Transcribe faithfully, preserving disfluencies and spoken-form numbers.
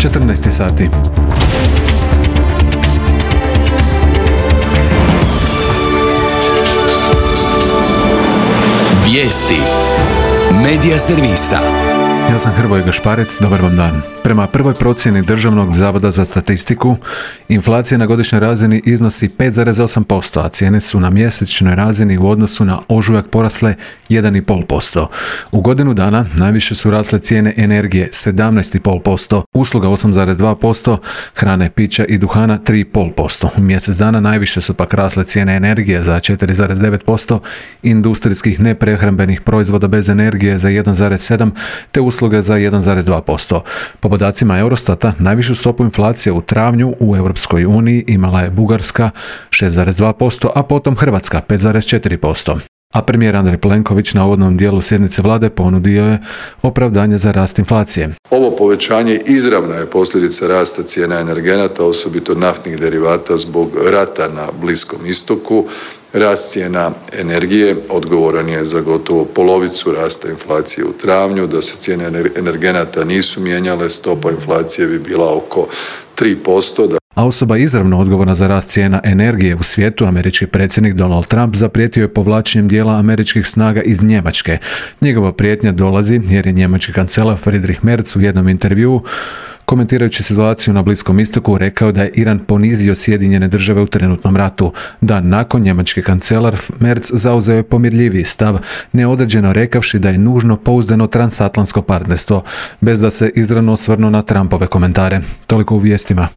četrnaest sati. Vijesti Medija servisa. Ja sam Hrvoje Gašparec, dobar vam dan. Prema prvoj procjeni Državnog zavoda za statistiku, inflacija na godišnjoj razini iznosi pet zarez osam posto, a cijene su na mjesečnoj razini u odnosu na ožujak porasle jedan zarez pet posto. U godinu dana najviše su rasle cijene energije sedamnaest zarez pet posto, usluga osam zarez dva posto, hrane, pića i duhana tri zarez pet posto. U mjesec dana najviše su pak rasle cijene energije za četiri zarez devet posto, industrijskih neprehrambenih proizvoda bez energije za jedan zarez sedam te usluge za jedan zarez dva posto. Po podacima Eurostata, najvišu stopu inflacije u travnju u Europskoj uniji imala je Bugarska šest zarez dva posto, a potom Hrvatska pet zarez četiri posto. A premijer Andrej Plenković na uvodnom dijelu sjednice vlade ponudio je opravdanje za rast inflacije. Ovo povećanje izravna je posljedica rasta cijena energenata, osobito naftnih derivata zbog rata na Bliskom istoku. Rast cijena energije odgovoran je za gotovo polovicu rasta inflacije u travnju. Da se cijene energenata nisu mijenjale, stopa inflacije bi bila oko tri posto. A osoba izravno odgovorna za rast cijena energije u svijetu, američki predsjednik Donald Trump, zaprijetio je povlačenjem dijela američkih snaga iz Njemačke. Njegova prijetnja dolazi jer je njemački kancelar Friedrich Merz u jednom intervjuu, komentirajući situaciju na Bliskom istoku, rekao da je Iran ponizio Sjedinjene države u trenutnom ratu. Dan nakon, njemački kancelar Merz zauzeo je pomirljiviji stav, neodređeno rekavši da je nužno pouzdano transatlantsko partnerstvo, bez da se izravno osvrnuo na Trumpove komentare. Toliko u vijestima.